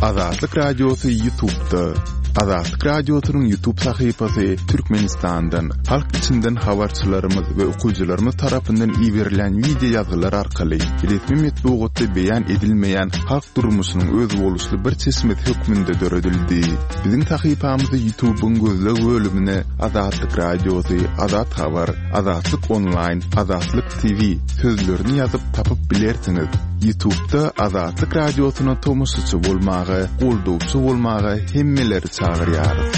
Azatlyk Radiosy Ýutubda. Azatlyk Radiosynyň Ýutub sahypasy Türkmenistandan, halk içinden habarçylarymyz we okyjylarymyz tarapyndan iberilen wideo ýazgylar arkaly resmi metbugatda beýan edilmeýän halk durmuşynyň özboluşly bir çeşmesi hökmünde döredildi. Biziň sahypamyzy Ýutubyň gözleg bölümine Azatlyk Radiosy, Azat Habar, Azatlyk Onlaýn, Azatlyk TV sözlerini ýazyp tapyp bilersiňiz. Ýutubda Azatlyk Radiosyna tomaşaçy bolmaga, goldawçy bolmaga hemmeleri çagyrýarys.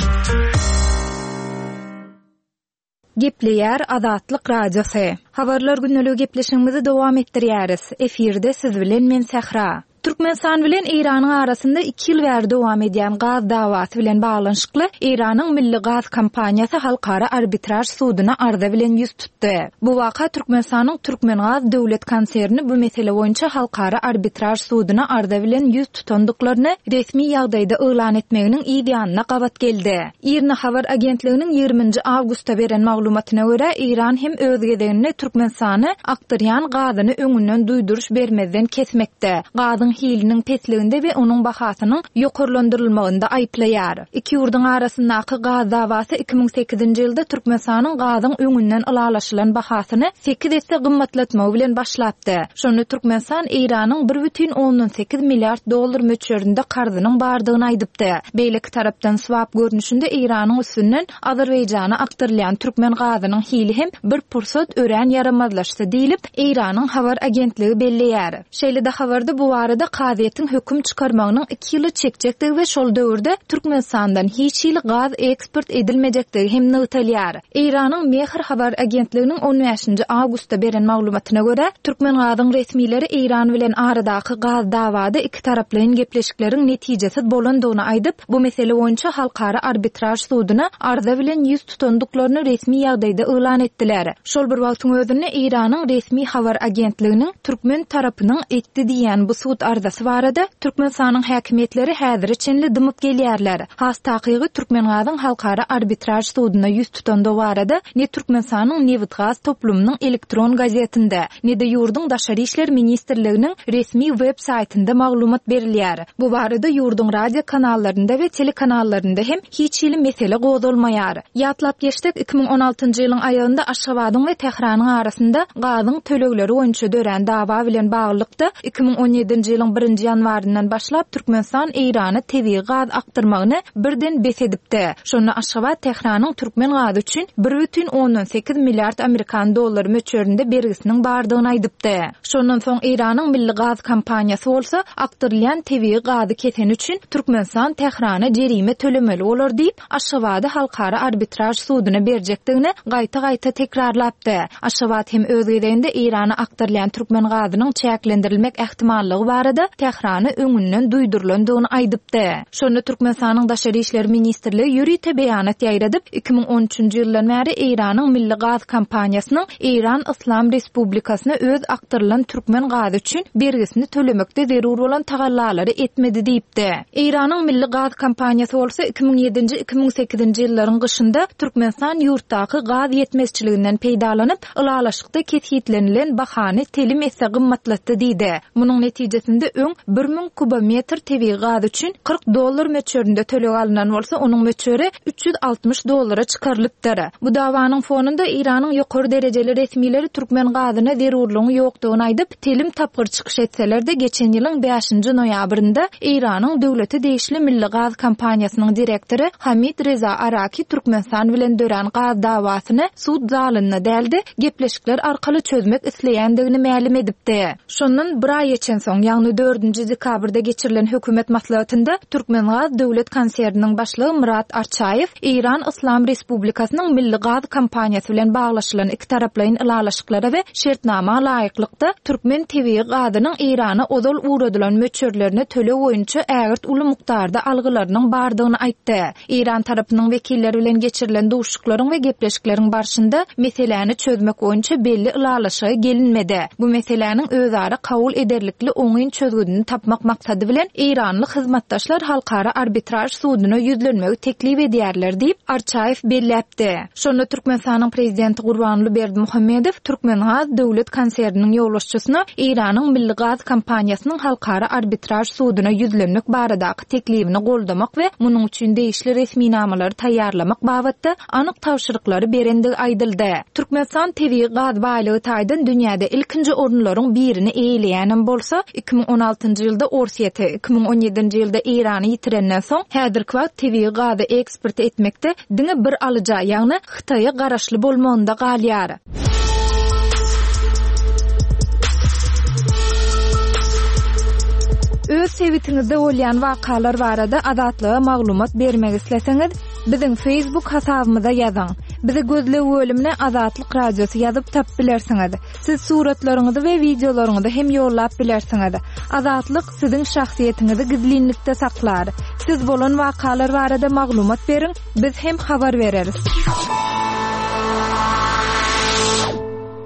Gepleýär Azatlyk Radiosy. Habarlar gündeligi gepleşigimizi dowam etdirýäris. Efirde siz bilen men Sähra. Türkmenistan bilen Eýranyň arasynda iki ýyl bäri dowam edýän gaz dawasy bilen baglanyşykly Eýranyň Milli gaz kompaniýasy Halkara arbitraž suduna arza bilen ýüz tutdy. Bu waka Türkmenistanyň Türkmengaz döwlet konserni bu mesele boýunça Halkara arbitraž suduna arza bilen ýüz tutandyklaryny resmi ýagdaýda yglan etmeginiň yz ýanyna gabat geldi. IRNA habar agentliginiň ýigrimi nji awgustda beren maglumatyna görä, Eýran hem öz gezeginde Türkmenistany akdyrýan gazyny öňünden duýduryş bermezden kesmekde, gazyň hiliniň pesliginde we onuň bahasynyň ýokarlandyrylmagynda aýyplaýar. Iki ýurduň arasyndaky gaz dawasy 2008-nji ýylda Türkmenistanyň gazyň öňünden ylalaşylan bahasyny sekiz esse gymmatlatmagy bilen başlapdy. Şonda Türkmenistan Eýranyň bir bütin ondan sekiz milliard dollar möçberinde karzynyň bardygyny aýdypdy. Beýleki tarapdan swap görnüşinde Eýranyň üstünden Azerbaýjana akdyrylýan türkmen gazynyň hili hem bir pursat örän ýaramazlaşdy diýlip, Eýranyň habar agentligi belleýär. Şeýle-de habarda bu barada kazyýetiň höküm çykarmagynyň iki ýyla çekjekdigi we şol döwürde Türkmenistandan hiç hili gaz eksport edilmejekdigi hem nygtalýar. Eýranyň Mehr habar agentliginiň on bäşinji awgustda beren maglumatyna görä, Türkmengazyň resmileri Eýran bilen aradaky gaz dawada ikitaraplaýyn gepleşikleriň netijesiz bolandygyny aýdyp, bu mesele boýunça Halkara arbitraž suduna arza bilen ýüz tutandyklaryny resmi ýagdaýda yglan etdiler. Şol bir wagtyň özünde Eýranyň resmi habar agentliginiň türkmen tarapynyň etdi diýýän bu sud arzasy barada Türkmenistanyň häkimiýetleri häzire çenli dymyp gelýärler. Has takygy, Türkmengazyň Halkara arbitraž suduna ýüz tutandygy barada ne Türkmenistanyň nebitgaz toplumynyň elektron gazetinde, ne-de ýurduň Daşary işler ministrliginiň resmi web saýtynda maglumat berilýär. Bu barada ýurduň radio kanallarynda we telekanallarynda hem hiç hili mesele gozgalmaýar. Ýatlap geçsek, 2016-njy ýylyň aýagynda Aşgabadyň we Tähranyň arasynda gazyň tölegleri boýunça dörän dawa bilen baglylykda, 2017-nji ýylyň birinji ýanwaryndan başlap Türkmenistan Eýrana tebigy gaz akdyrmagyny birden bes edipdi. Şonda Aşgabat Tähranyň türkmen gazy üçin bir bütin ondan sekiz milliard amerikan dollary möçberinde bergisiniň bardygyny aýdypdy. Şondan soň Eýranyň milli gaz kompaniýasy bolsa akdyrylýan tebigy gazy keseni üçin Türkmenistan Tährana jerime tölemeli bolar diýip, Aşgabady Halkara arbitraž suduna berjekdigini gaýta-gaýta tekrarlapdy. Aşgabat hem öz gezeginde Eýrana akdyrylýan türkmen gazynyň çäklendirilmek ähtimallygy barada Tährana öňünden duýdurylandygyny aýdypdy. Şonda Türkmenistanyň Daşary işler ministrligi ýörite beýanat ýaýradyp, 2013-nji ýyldan bäri Eýranyň milli gaz kompaniýasynyň Eýran Yslam Respublikasyna öz akdyrylan türkmen gazy üçin bergisini tölemekde zerur bolan tagallalary etmedi diýipdi. Eýranyň milli gaz kompaniýasy bolsa 2007-nji, 2008-nji ýyllaryň gyşynda Türkmenistan ýurtdaky gaz ýetmezçiliginden peýdalanyp, ylalaşykda kesgitlenilen bahany telim esse gymmatlatdy diýdi. Munuň netijesinde öň 1000 kubometr tebigy gaz üçin 40 dollar möçberinde töleg alnan bolsa, onuň möçberi 360 dollara çykarylypdyr. Bu dawanyň fonunda Eýranyň ýokary derejeli resmileri türkmen gazyna zerurlygyň ýokdugyny aýdyp, telim tapgyr çykyş etseler-de, geçen ýylyň bäşinji noýabrynda Eýranyň döwlete degişli Milli gaz kompaniýasynyň direktory Hamid Reza Araki Türkmenistan bilen dörän gaz dawasyny sud zalynda däl-de, gepleşikler arkaly çözmek isleýändigini mälim edipdi. Şondan bir aý geçensoň, ýagny dördünji dekabrda geçirilen hökümet maslahatynda Türkmengaz döwlet konserniniň başlygy Myrat Arçaýew Eýran Yslam Respublikasynyň Milli gaz kompaniýasy bilen baglaşylan ikitaraplaýyn ylalaşyklara we şertnama laýyklykda, türkmen tebigy gazynyň Eýrana ozal ugradylan möçberlerine töleg boýunça ägirt uly mukdarda algylarynyň bardygyny aýtdy. Eýran tarapynyň wekilleri bilen geçirilen duşuşyklaryň we gepleşikleriň barşynda meseläni çözmek boýunça belli ylalaşyga gelinmedi. Bu meseläniň özara kabul ederlikli oňyn. toplumlaýyn çözgüdini tapmak maksady bilen eýranly hyzmatdaşlar Halkara arbitraž suduna ýüzlenmegi teklip edýärler diýip, Arçaýew belläpdi. Şonda Türkmenistanyň Prezidenti Gurbanguly Berdimuhamedow Türkmengaz döwlet konserniniň ýolbaşçysyna Eýranyň Milli gaz kompaniýasynyň Halkara arbitraž suduna ýüzlenmek baradaky teklibini goldamak we munuň üçin degişli resminamalary taýýarlamak babatda anyk tabşyryklary berendigi aýdyldy. Türkmenistan tebigy gaz baýlygy taýdan dünýäde ilkinji orunlaryň birini eýeleýänem bolsa, 2016-njy ýylda Orsýeti, 2017-nji ýylda Eýrany ýitirenden soň, häzirki wagt tebigy gazy eksport etmekde diňe bir alyja, ýagny Hytaýa garaşly bolmagynda galýar. Öz sebitiňizde bolýan wakalar barada Azatlyga maglumat bermek isleseňiz, biziň Facebook hasabymyza ýazyň. Bizi gözleg bölümine Azatlyk Radiosy ýazyp tapyp bilersiňiz. Siz suratlaryňyzy we wideolaryňyzy hem ýollap bilersiňiz. Azatlyk siziň şahsyýetiňizi gizlinlikde saklar. Siz bolan wakalar barada maglumat beriň, biz hem habar bereris.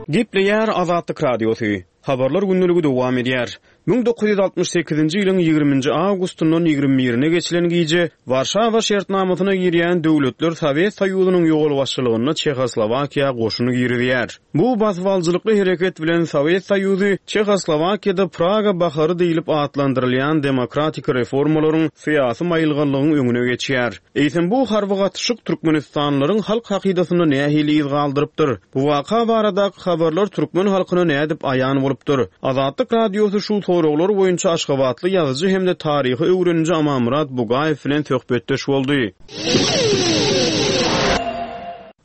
Gepleýär Azatlyk Radiosy. Habarlar gündeligi dowam edýär. 1968-nji ýylyň ýigriminji awgustyndan ýigrimi birine geçilen gije Warşawa şertnamasyna girýän döwletler Sowet Soýuzynyň ýolbaşçylygynda Çehoslowakiýa goşun girizýär. Bu basybalyjylykly hereket bilen Sowet Soýuzy Çehoslowakiýada Praga bahary diýlip atlandyrylýan demokratik reformalaryň, syýasy maýylganlygyň öňüne geçýär. Eýsem bu harby gatyşyk türkmenistanlylaryň halk hakydasynda nähili yz galdyrypdyr? Bu waka baradaky habarlar türkmen halkyna nädip aýan bolupdyr? Azatlyk Radiosy şu soraglar boýunça aşgabatly ýazyjy hem-de taryhy öwreniji Amanmyrat Bugaýew bilen söhbetdeş boldy.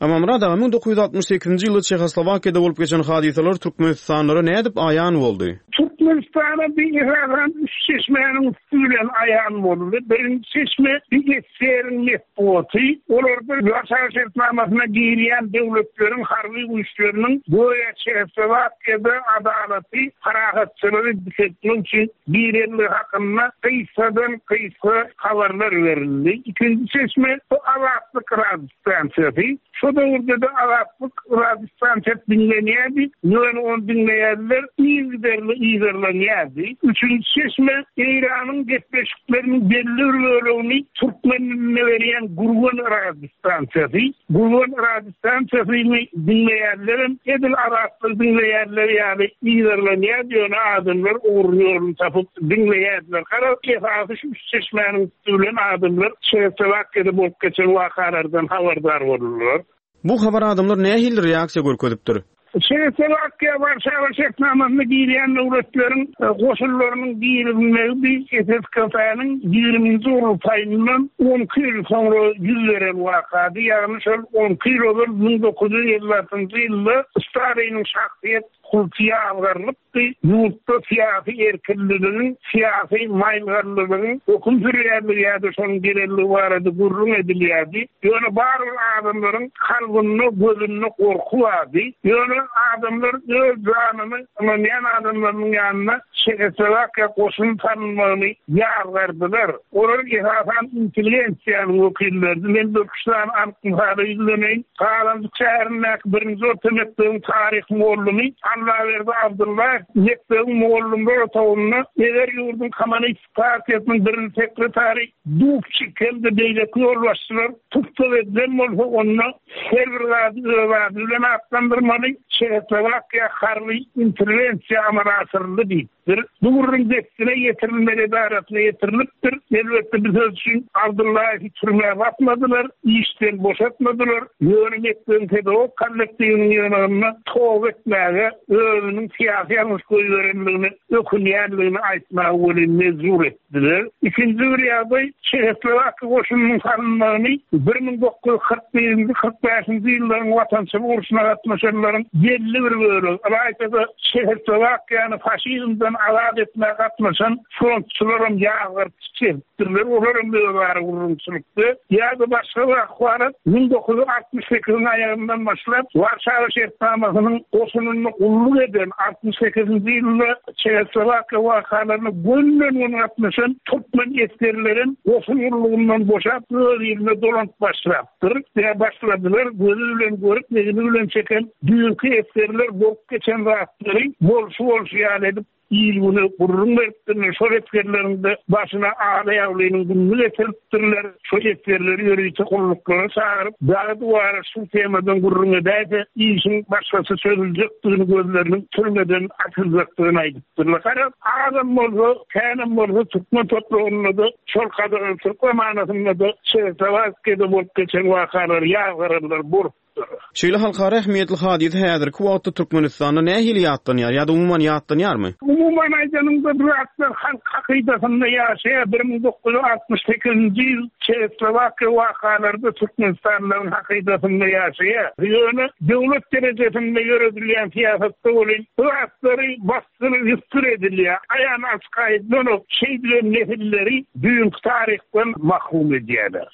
Amanmyrat aga, 1968-nji ýylda Çehoslowakiýada bolup geçen hadysalar türkmenistanlylara nädip aýan boldy? Türkmenistana bir esasan üç çeşmäniň üsti bilen aýan boldy. Birinji çeşme bir SSR-iň metbugaty. Olarda Warşawa şertnamasyna girýän döwletleriň harby güýçleriniň göýä Çehoslowakiýada adalaty, parahatçylygy dikeltmek üçin girenligi hakynda gysgadan-gysga habarlar berildi. Ikinji çeşme bu Azatlyk Radiosy. Stansiýasy. Şo döwürde-de Azatlyk radiostansiýasy diňlenýärdi, ýöne ony diňleýänler yzygiderli yzarlanýardy. Üçünji çeşme, Eýranyň gepleşikleriniň belli bir bölegini türkmen dilinde berýän Gürgen radiostansiýasy. Gürgen radiostansiýasyny diňleýänlerem edil Azatlygy diňleýänler ýaly yzarlanýardy, ýöne adamlar ugruny-ýoluny tapyp diňleýärdiler. Garaz, esasy şu üç çeşmäniň Ölen adamlar Çehoslowakiýada bolup geçen wakalardan habardar boldular. Bu habar adamlar nähili reaksiýa görkezipdir? Çehoslowakiýa Warşawa şertnamasyna girýän döwletleriň goşunlarynyň girizilmegi bi SSKP-niň ýigriminji gurultaýyndan on iki ýyl soňra ýüz beren wakady, ýagny şol on iki ýyl ozal 1956-njy ýylda Staliniň şahsyýet kulty ýazgarylyp, Ýurtda syýasy erkinliligiň, syýasy maýylganlylygyň höküm sürýänligi ýa-da şonuň gelenligi barada gürrüň edilýärdi. Ýöne barybir adamlaryň kalbynda, gözünde gorky bardy. Ýöne adamlar öz janyny ynanýan adamlarynyň ýanyna Çehoslowakiýa goşun salynmagyny ýazgardylar. Olar esasan intelligensiýanyň wekilleridi. Men birküç sany anyk mysala ýüzleneýin. Galanjyk şäherindäki birinji orta mekdebiň taryh mugallymy Allaberdi Abdyllaýew mekdebiň mugallymlar otagynda eger ýurduň Kommunistik partiýasynyň birinji sekretary Dubçik hem-de beýleki ýolbaşçylar tussag edilen bolsa, onda her bir zady öz ady bilen atlandyrmaly, Çehoslowakiýa harby interwensiýa amala aşyryldy diýip. Bir bu gürrüň dessine ýetirilmeli edarasyna ýetirilipdir. Elbetde bu söz üçin Abdyllaýewi türmä basmadylar, işden boşatmadylar. Ýöne mekdebiň pedagog kollektiwiniň ýygnagynda toba etmäge, özüniň syýasy ýalňyş goýberenligine ökünýänligini aýtmaga welin mejbur etdiler. Bize ikinji bir ýagdaý Çehoslowakiýa goşunynyň salynmagyny 1941-nji, 45-nji ýyllaryň Watançylyk urşuna gatnaşanlaryň belli bir bölegi, ylaýta-da Çehoslowakiýany faşizmden azat etmäge gatnaşan frontçylaram ýazgaryp çykyş edipdirler, olaram özara gürrüňçilikde ýa-da başga bir ahwalat 1968-iň aýagyndan başlap Warşawa şertnamasynyň goşunynda gulluk eden 68-nji ýylda Çehoslowakiýa wakalaryna gönden-göni gatnaşan türkmen esgerlerem goşun gullugyndan boşap, öz iline dolanyp başlapdyr. Ýa başladylar, gözi bilen görüp, egni bilen çeken düýnki esgerler bolup geçen zatlary bolşy-bolşy ýaly edip. il-güne gürrüň beripdirler. Şol esgerleriň-de başyna Ala-Ýaglynyň gününi getiripdirler. Şo esgerleri ýörite gulluklara çagyryp, dagy-duwara şu temadan gürrüň edäýse, işiň başgaça çözüljekdigini, gözleriniň türmeden atyljakdygyny aýdypdyrlar. Garaz, azam bolsa, känem bolsa türkmen topragynda-da, şol gadagançylyk zamanasynda-da Çehoslowakiýada bolup geçen wakalary ýazgaranlar bolupdyr. Şeýle halkara ähmiýetli hadysa häzirki wagtda Türkmenistanda nähili ýatlanýar ýa-da umuman ýatlanýarmy? Umuman aýdanyňda bu zatlar halk hakydasynda ýaşaýar. 1968-nji ýyl Çehoslowakiýa wakalary-da türkmenistanlylaryň hakydasynda ýaşaýar. Ýöne döwlet derejesinde ýöredilýän syýasatda welin bu zatlary basgyr-ýusgur edilýär. Aýan-açyk aýdylanok, şeýdibem nesilleri düýnki taryhdan mahrum edýärler.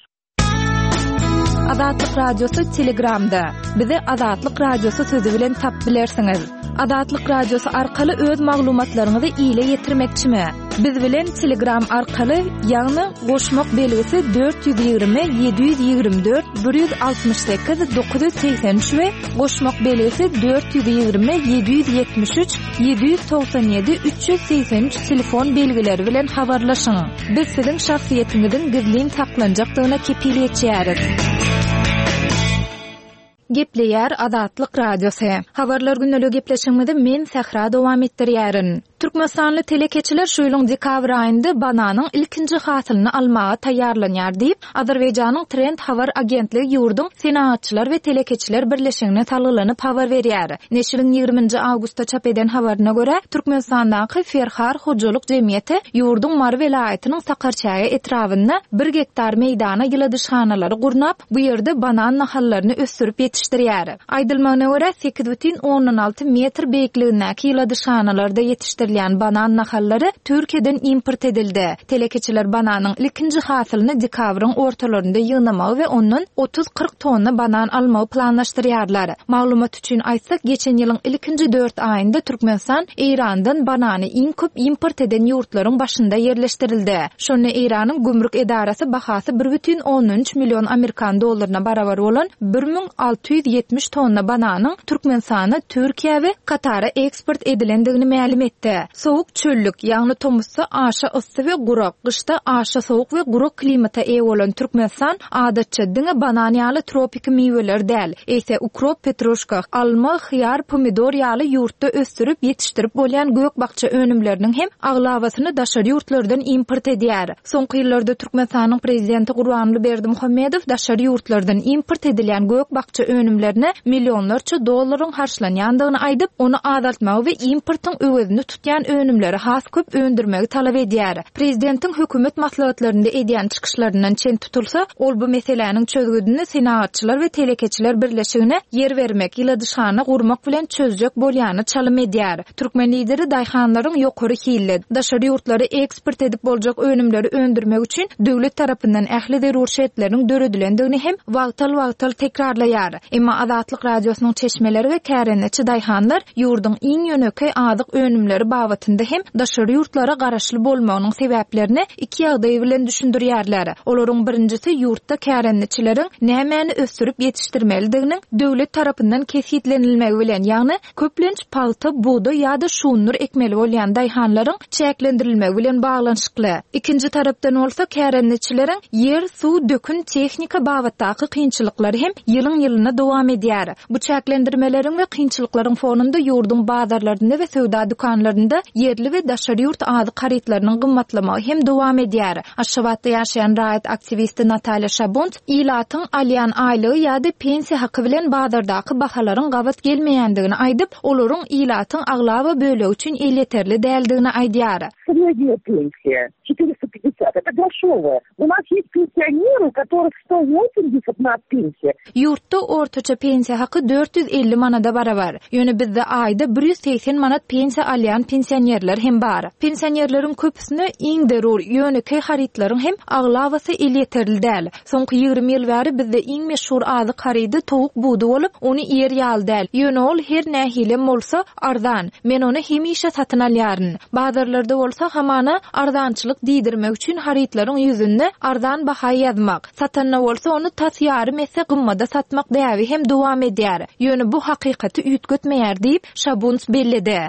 Azatlyk Radiosy Telegramda. Bizi Azatlyk Radiosy sözi bilen tapyp bilersiňiz. Azatlyk Radiosy arkaly öz maglumatlaryňyzy ile ýetirmekçimi? Biz bilen Telegram arkaly, ýagny goşmak belgisi 420 724 168 983 we goşmak belgisi 420 773 797 383 telefon belgileri bilen habarlaşyň. Biz siziň şahsyýetiňiziň gizlin saklanjakdygyna kepil geçýäris. Gepleýär Azatlyk Radiosy. Habarlar gündeligi gepleşigimizi men Sähra dowam etdirýärin. Türkmenistanly telekeçiler şu ýylyň dekabr aýynda bananyň ilkinji hasylyny almaga taýýarlanýar diýip, Azerbaýjanyň Trend habar agentligi ýurduň Senagatçylar we telekeçiler birleşigine salgylanyp habar berýär. Neşiriň ýigrimi nji awgustda çap eden habaryna görä, Türkmenistandaky Ferhar hojalyk jemgyýeti ýurduň Mary welaýatynyň Sakarçäge etrabynda bir gektar meýdana ýyladyşhanalary gurnap, bu ýerde banan nahallaryny ösdürip ýetişdirýär. Aýdylmagyna görä, 8,6 metr beýikligindäki ýyladyşhanalarda ýetişdirilýän banan nahallary Türkiýeden import edildi. Telekeçiler bananyň ilkinji hasylyny dekabryň ortalarynda ýygnamagy we ondan otuz-kyrk tonna banan almagy planlaşdyrýarlar. Maglumat üçin aýtsak, geçen ýylyň ilkinji dört aýynda Türkmenistan Eýrandan banany iň köp import eden ýurtlaryň başynda ýerleşdirildi. Şonda Eýranyň gümrük edarasy bahasy bir bütin ondan üç million amerikan dollaryna barabar bolan 1670 tonna bananyň Türkmenistana, Türkiýä we Katara eksport edilendigini mälim etdi. Sowuk çöllük, ýagny tomusda aşa yssy we gurak, gyşda aşa sowuk we gurak klimata eýe bolan Türkmenistan adatça diňe banan ýaly tropiki miweleri däl, eýse ukrop, petruşka, alma, hyýar, pomidor ýaly ýurtda ösdürip ýetişdirip bolýan gök-bakja önümleriniň hem aglabasyny daşary ýurtlardan import edýär. Soňky ýyllarda Türkmenistanyň Prezidenti Gurbanguly Berdimuhamedow daşary ýurtlardan import edilýän gök-bakja önümlerine millionlarça dollaryň harçlanýandygyny aýdyp, ony azaltmagy we importyň öwezini tutýan önümleri has köp öndürmegi talap edýär. Prezidentiň hökümet maslahatlarynda edýän çykyşlaryndan çen tutulsa, ol bu meseläniň çözgüdini Senagatçylar we telekeçiler birleşigine ýer bermek, ýyladyşhana gurmak bilen çözjek bolýana çalym edýär. Türkmen Lideri daýhanlaryň ýokary hilli, daşary ýurtlara eksport edip boljak önümleri öndürmek üçin döwlet tarapyndan ähli zerur şertleriň döredilendigini hem wagtal-wagtal tekrarlaýar. Emma Azatlyk Radiosynyň çeşmeleri we kärendeçi daýhanlar ýurduň iň ýönekeý azyk önümleri babatynda hem daşary ýurtlara garaşly bolmagynyň sebäplerini iki ýagdaý bilen düşündirýärler. Olaryň birinjisi ýurtda kärendeçileriň nämäni ösdürip ýetişdirmelidiginiň döwlet tarapyndan kesgitlenilmegi bilen, ýagny Köplenç pagta, bugdaý ýa-da şundur ekmeli bolýan daýhanlaryň çäklendirilmegi bilen baglanyşykly. Ikinji tarapdan bolsa, kärendeçileriň ýer, suw, dökün, tehnika babatdaky kynçylyklary hem ýylyň-ýylyna dowam edýär. Bu çäklendirmeleriň we kynçylyklaryň fonunda ýurduň bazarlarynda we söwda dükanlarynda ýerli we daşary ýurt azyk harytlarynyň gymmatlamagy hem dowam edýär. Aşgabatda ýaşaýan raýat aktiwisti Natalýa Şabunt Ilatyň alýan aýlygy ýa-da pensiýa haky bilen bazardaky bahalaryň gabat gelmeýändigini aýdyp, olaryň ilatyň aglaba bölegi üçin elýeterli däldigini aýdýar. Srednýa pensiýa, 450, это groşowaýa. U nas ýest pensionery, u kotoryh 180 na pensiýa. Ýurtda ortaça pensiýa haky 450 manada barabar. Ýöne bizde aýda 180 manat pensiýa alýan pensionerler hem bar. Pensionerleriň köpüsine iň zerur, ýönekeý harytlaryň hem aglabasy elýeterli däl. Soňky 20 ýyl bäri bizde iň meşhur azyk harydy towuk budy bolup, ony iýer ýaly däl. Ýöne ol her nähilem bolsa, arzan. Men ony hemişe satyn alýaryn. Bazarlarda bolsa, hamana, arzançylyk diýdirmek üçin harytlaryň ýüzünde arzan baha ýazmak, satanda bolsa ony tas ýarym esse gymmada satmak däbi hem dowam edýär. Ýöne bu hakykaty üýtgetmeýär diýip, Şabunts belledi.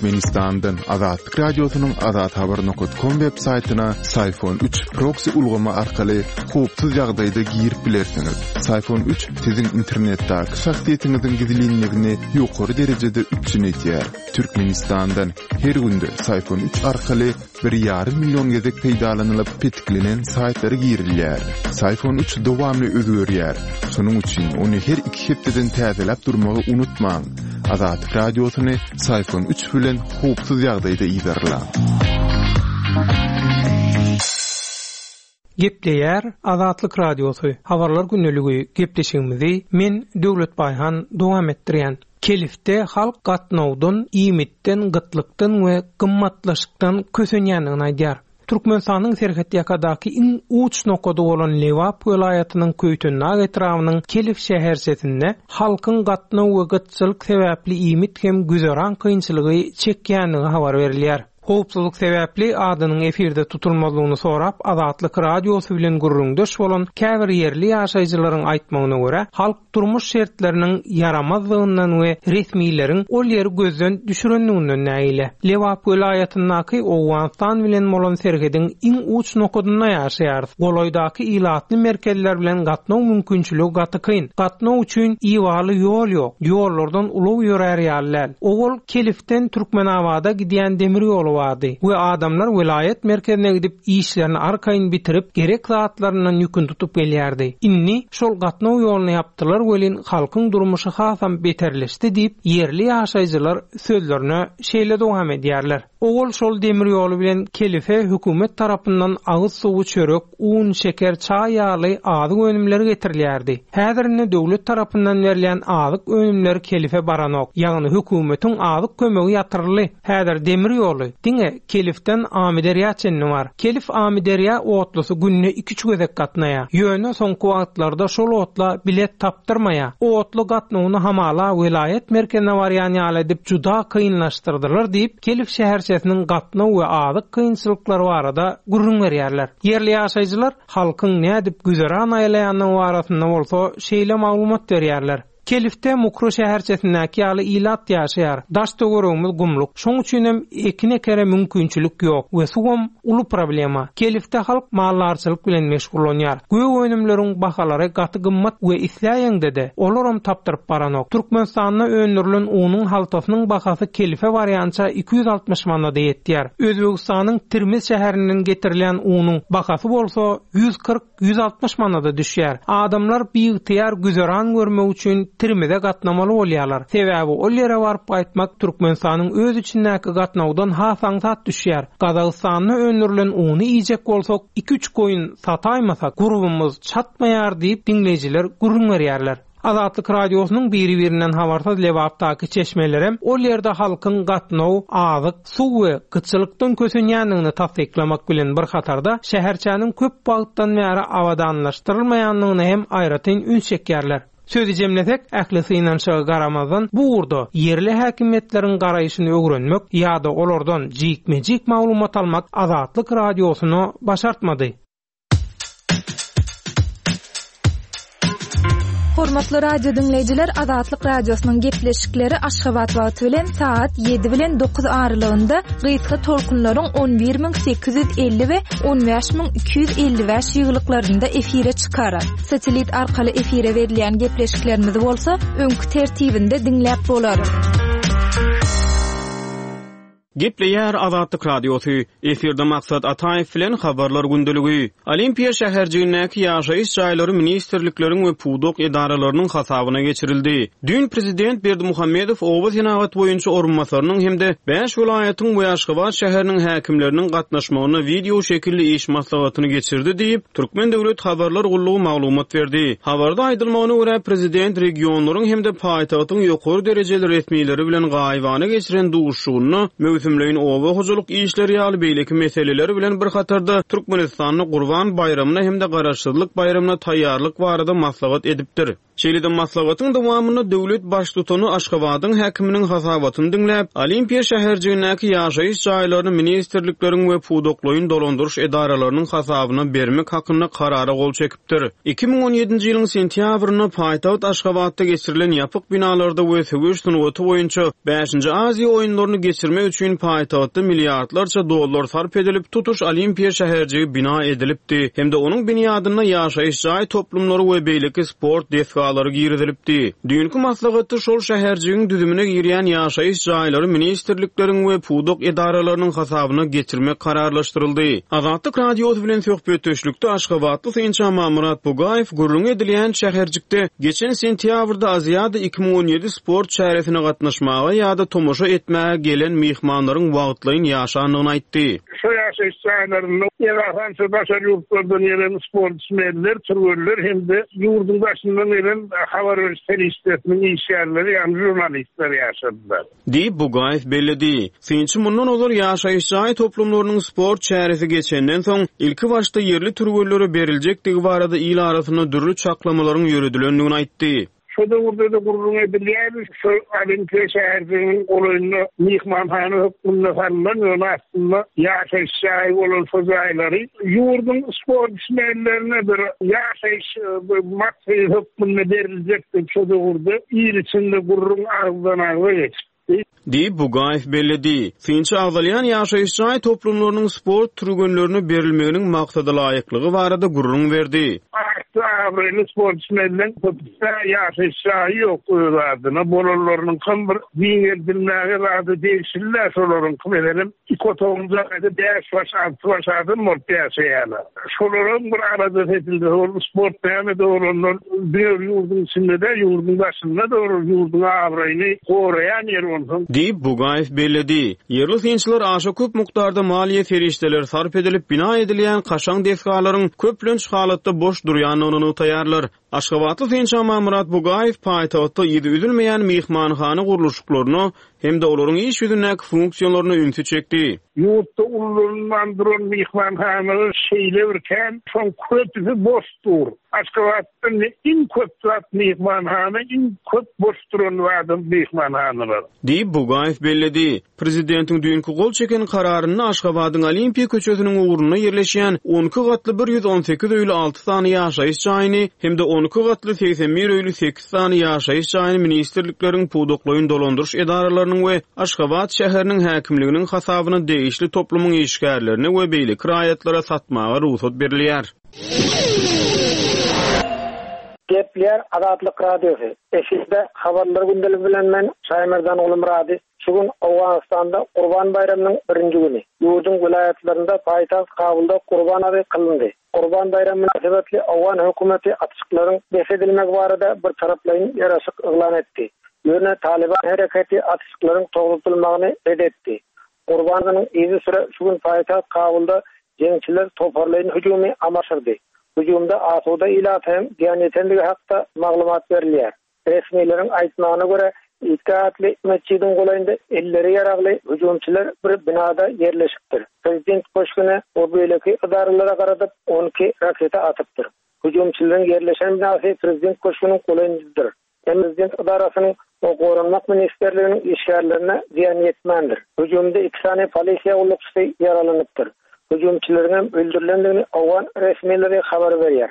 Türkmenistandan Azatlyk Radiosynyň azathabar nokat kom web saýtyna Syfon üç proksi ulgamy arkaly howpsuz ýagdaýda girip bilersiňiz. Syfon üç siziň internetdäki şahsyýetiňiziň gizlinligini ýokary derejede üpjün edýär. Türkmenistandan her günde Syfon üç arkaly bir ýarym million gezek peýdalanylyp petiklenen saýtlara girilýär. Syfon üç dowamly özgerýär. Şonuň üçin ony her iki hepdeden täzeläp durmagy unutmaň. Azatlyk Radiosyny Syfon üç bilen howpsuz ýagdaýda yzarlaň. Gepleýär Azatlyk Radiosy, Habarlar gündeligi gepleşigimizi men Döwlet Baýhan dowam etdirýän. Kelifde halk gatnawdan, iýmitden, gytlykdan we gymmatlaşykdan kösenýändigini aýdýar. Türkmenistanyň serhetýakadaky iň uç nokady bolan Lebap welaýatynyň Köýtendag etrabynyň Kelif şäherçesinde halkyň gatnaw we gytçylyk sebäpli iýmit hem güzeran kynçylygy çekýändigi habar berilýär. Howpsuzlyk sebäpli adynyň efirde tutulmazlygyny sorap, Azatlyk Radiosy bilen gürrüňdeş bolan käbir ýerli ýaşaýjylaryň aýtmagyna görä, halk durmuş şertleriniň ýaramazdygyndan we resmileriň ol ýeri gözden düşürendiginden nägile. Lebap welaýatyndaky Owganystan bilen bolan serhediň iň uç nokadynda ýaşaýarys. Golaýdaky ilatly merkezler bilen gatnaw mümkinçiligi gaty kyn. Gatnaw üçin ibaly ýol ýok. Ýollardan ulag ýörär ýaly däl. Owal Kelifden Türkmenabada gidýän demir ýoly bardy we adamlar welaýat merkezine gidip, işlerini arkaýyn bitirip, gerek zatlaryndan ýüküni tutup gelýärdi. Indi şol gatnaw ýoluny ýapdylar welin, halkyň durmuşy hasam beterleşdi diýip, ýerli ýaşaýjylar sözlerine şeýle dowam edýärler. Owal şol demir ýoly bilen Kelife hökümet tarapyndan agyz suwy, çörek, un, şeker, çaý ýaly azyk önümleri getirilýärdi. Häzir indi döwlet tarapyndan berilýän azyk önümleri Kelife baranok. Ýagny hökümetiň azyk kömegi ýatyryldy. Häzir demir ýoly diňe Kelifden Amyderýa çenli bar. Kelif-Amyderýa otlusy günde iki-üç gezek gatnaýar. Ýöne soňky wagtlarda şol otla bilet tapdyrmaýar. Otly gatnawyny hamala welaýat merkezine barýan ýaly edip juda kynlaşdyrdylar diýip, Kelif şäherçesiniň gatnaw we azyk kynçylyklary barada gürrüň berýärler. Ýerli ýaşaýjylar halkyň nädip güzeran aýlaýandygy barasynda bolsa şeýle maglumat berýärler. Kelifde Mukry şäherçesindäki ýaly ilat ýaşaýar. Daş-töweregimiz gumluk. Şoň üçinem ekin ekere mümkinçilik ýok we suwam uly problema. Kelifde halk maldarçylyk bilen meşgullanýar. Gök önümleriň bahalary gaty gymmat we isläýeňde-de, olaram tapdyryp baranok. Türkmenistanda öndürilen unuň haltasynyň bahasy Kelife barýança 260 manada ýetýär. Özbegistanyň Termiz şäherinden getirilýän unuň bahasy bolsa 140 160 manada düşýär. Adamlar biygtyýar güzeran görmek üçin Termize gatnamaly bolýarlar. Sebäbi ol ýere baryp gaýtmak Türkmenistanyň öz içindäki gatnawdan has aňsat düşýär. Gazagystanda öndürilen uny iýjek bolsak, iki-üç goýun sataýmasak, gurbumyz çatmaýar diýip, diňleýjiler gürrüň berýärler. Azatlyk Radiosynyň biri-birinden habarsyz Lebapdaky çeşmelerem ol ýerde halkyň gatnaw, azyk, suw we gytçylykdan kösenýändigini tassyklamak bilen bir hatarda, şäherçäniň köp wagtdan bäri abadanlaşdyrylmaýandygyna hem aýratyn üns çekýärler. Sözi jemlesek, ähli synanyşyga garamazdan, bu ugurda ýerli häkimiýetleriň garaýşyny öwrenmek ýa-da olardan jikme-jik maglumat almak Azatlyk Radiosyna başartmady. Hormatly radio diňleýjiler, Azatlyk Radiosynyň gepleşikleri Aşgabat wagty bilen sagat 7 bilen 9 aralygynda gysga tolkunlaryň 11850 we 15255 ýygylyklarynda efire çykar. Satellit arkaly efire berilýän gepleşiklerimizi bolsa öňki tertibinde diňläp bolar. Gepleýär Azatlyk Radiosy, efirde Maksat Ataýew bilen Habarlar gündeligi. Olimpiýa şäherjigindäki ýaşaýyş jaýlary ministrlikleriň we pudak edaralarynyň hasabyna geçirildi. Düýn prezident Berdimuhamedow oba senagat boýunça orunbasarynyň hem-de bäş welaýatyň we Aşgabat şäheriniň häkimleriniň gatnaşmagynda wideo şekilli iş maslahatyny geçirdi diýip, Türkmen döwlet habarlar gullugy maglumat berdi. Habarda aýdylmagyna görä, prezident regionlaryň hem-de paýtagtyň ýokary derejeli resmileri bilen gaýybana geçiren duşuşygynda möwsüm. möwsümleýin oba hojalyk işleri ýaly beýleki meseleler bilen bir hatarda Türkmenistanda Gurban baýramyna hem-de Garaşsyzlyk baýramyna taýýarlyk barada maslahat edipdir. Şeýle-de maslahatyň dowamynda döwlet Baştutany Aşgabadyň häkiminiň hasabatyny diňläp, Olimpiýa şäherjigindäki ýaşaýyş jaýlaryny ministrlikleriň we pudaklaýyn dolandyryş edaralarynyň hasabyna bermek hakynda Karara gol çekipdir. 2017-nji ýylyň sentýabrynda paýtagt Aşgabatda geçirilen ýapyk binalarda we söweş sungaty boýunça Bäşinji Aziýa oýunlaryny geçirmek üçin paýtagtda milliardlarça dollar sarp edilip, tutuş Olimpiýa şäherjigi bina edilipdi hem-de onuň binýadynda ýaşaýyş jaý toplumlary we beýleki sport desgalary girizilipdi. Düýnki maslahatda şol şäherjigiň düzümine girýän ýaşaýyş jaýlary ministrlikleriň we pudak edaralarynyň hasabyna geçirmek kararlaşdyryldy. Azatlyk Radiosy bilen söhbetdeşlikde aşgabatly synçy Amanmyrat Bugaýew gürrüňi edilýän şäherjikde geçen sentýabrda Aziada 2017 sport çäresine gatnaşmaga ýa-da tomaşa etmäge gelen myhmanlaryň wagtlaýyn ýaşandygyny aýtdy. Şo ýaşaýyş jaýlarynda esasan şu daşary ýurtlardan gelen sportsmenler, türgenler hem-de ýurduň daşyndan gelen habar beriş serişdesiniň işgärleri, ýagny žurnalistler ýaşadylar. Diýip, Bugaýew belledi. Synçy mundan ozal ýaşaýyş jaý toplumlarynyň sport çäresi geçenden soň, ilkibaşda ýerli türgenlere beriljekdigi barada il arasynda dürli çaklamalaryň ýöredilendigini aýtdy. Şo döwürde-de gürrüň edilýärdi, şo Olimpiýa şäherjiginiň golaýynda myhmanhana hökmünde salnan, ýöne aslynda ýaşaýyş jaýy bolan şo jaýlary ýurduň sportsmenlerine bir ýaşaýyş maksady hökmünde beriljek diýip şo döwürde il içinde gürrüň agzdan-agza geçipdi. Diýip, Bugaýew belledi. Synçy agzalýan ýaşaýyş jaý toplumlarynyň sport türgenlerine berilmeginiň maksadalaýyklygy barada gürrüň berdi. Atly-abraýly sportsmenleň köpüsine ýaşaýyş jaýy ýok öz adyna, bolanlarynyňkam bir giňeldilmäge zada degişli-dä şolaryňky, meselem, iki otagly jaýda bäş baş, alty baş adam bolup ýaşaýarlar. Şolaram bir aladasy edilse, ol sport näme-de bolandan diňe bir ýurduň içinde däl, ýurduň daşynda-da bir ýurduň abraýyny goraýan ýer onsoň. Diýip, Bugaýew belledi. Ýerli synçylar aşa köp mukdarda maliýe serişdeleri sarp edilip bina edilýän kaşaň desgalaryň köplenç halatda boş durýandygyny nygtaýarlar. Aşgabatly synçy Amanmyrat Bugaýew paýtagtda yzy üzülmeýän myhmanhana gurluşyklaryna hem-de olaryň iş ýüzündäki funksiýalaryna ünsi çekdi. Ýurtda ullanylman duran myhmanhanalar şeýle bir kän, şoň köpüsi boş dur. Aşgabatda iň köp zat myhmanhana, iň köp boş duran zadam myhmanhanalar. Diýip, Bugaýew belledi. Prezidentiň düýnki gol çeken Kararynda Aşgabadyň Olimpiýa köçesiniň ugrunda ýerleşýän 12 gatly 118 öýli alty sany ýaşaýyş jaýyny hem-de 12 gatly 81 öýli sekiz sany ýaşaýyş jaýyny ministrlikleriň, pudaklaýyn dolandyryş edaralarynyň we Aşgabat şäheriniň häkimliginiň hasabyna degişli toplumyň işgärlerine we beýleki raýatlara satmaga rugsat berilýär. Gepleýär Azatlyk Radiosy, Efirde Habarlar gündeligi bilen men Şaýmerdan Gulumyrady. Şu gün Owganystanda Gurban baýramynyň birinji güni. Ýurduň welaýatlarynda, paýtagt Kabulda Gurban namazy kylyndy. Gurban baýramy mynasybetli owgan hökümeti atyşyklaryň bes edilmegi barada birtaraplaýyn ýaraşyk yglan etdi. Ýöne Talyban hereketi atyşyklaryň togtatylmagyny ret etdi. Gurban namazynyň yzysüre şu gün paýtagt Kabulda jeňçiler toparlaýyn hüjümi amala aşyrdy. Hüjümde asuda ilata hem zyýan ýetendigi hakda maglumat berilýär. Resmileriň aýtmagyna görä, Idgah atly metjidiň golaýynda elleri ýaragly hüjümçiler bir binada ýerleşipdir. Prezident köşgüne we beýleki edaralara garadyp, 12 raketa atypdyr. Hüjümçileriň ýerleşen binasy prezident köşgüniň golaýyndadyr. Emma prezident edarasynyň we Goranmak ministrliginiň işgärlerine zyýan ýetmändir. Hüjümde iki sany polisiýa gullukçysy ýaralanypdyr. Hüjümçileriňem öldürilendigini owgan resmileri habar berýär.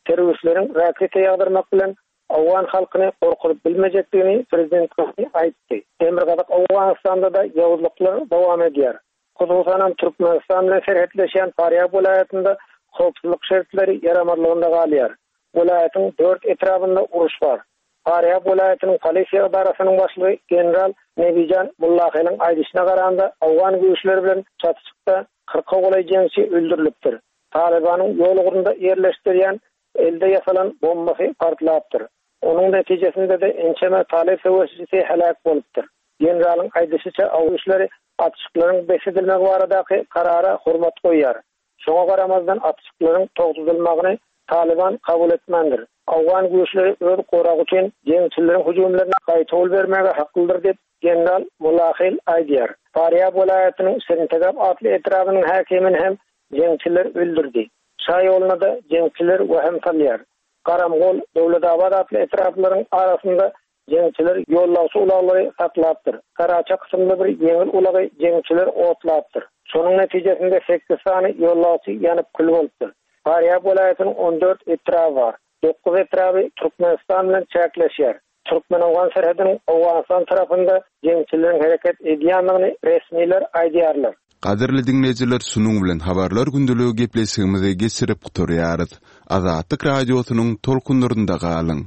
Terroristleriň raketa ýagdyrmak bilen owgan halkyny gorkuzyp bilmejekdigini prezident Ghani aýtdy. Demirgazyk Owganystanda-da ýowuzlyklar dowam edýär. Hususanam Türkmenistan bilen serhetleşýän Farýab welaýatynda howpsuzlyk şertleri ýaramazlygynda galýar. Welaýatyň dört etrabynda uruş bar. Farýab welaýatynyň polisiýa edarasynyň başlygy general Nebijan Mullaheliň aýdyşyna garanda, owgan güýçleri bilen çatyşykda kyrka golaý jeňçi öldürilipdir. Talybanyň ýol ugrunda ýerleşdirýän elde ýasalan bombasy partlapdyr. Onuň netijesinde-de ençeme talyp söweşijisi heläk bolupdyr. Generalyň aýdyşyça, aw güýçleri atyşyklaryň bes edilmegi baradaky karara hormat goýýar. Şoňa garamazdan atyşyklaryň togtadylmagyny Talyban kabul etmändir. Owgan güýçleri öz goragy üçin jeňçileriň hüjümlerine gaýtawul bermäge haklydyr diýip, general Mulahil aýdýar. Farýab welaýatynyň Şirintegap atly etrabynyň häkimini hem jeňçiler öldürdi. Şa ýoluna-da jeňçiler wehim salýar. Garamgol, Döwletabat atly etraplaryň arasynda jeňçiler ýollagçy ulaglary saklapdyr. Saraça kysymly bir ýeňil ulagy jeňçiler otlapdyr. Şonuň netijesinde sekiz sany ýollagçy ýanyp kül bolupdyr. Farýab welaýatynyň 14 etraby bar. Dokuz etraby Türkmenistan bilen çäkleşýär. Türkmen-owgan serhediniň Owganystan tarapynda jeňçileriň hereket edýändigini resmiler aýdýarlar. Gadyrly diňleýjiler şunuň bilen Habarlar gündeligi gepleşigimizi geçirip gutarýarys. Azatlyk Radiosynyň tolkunlarynda galyň!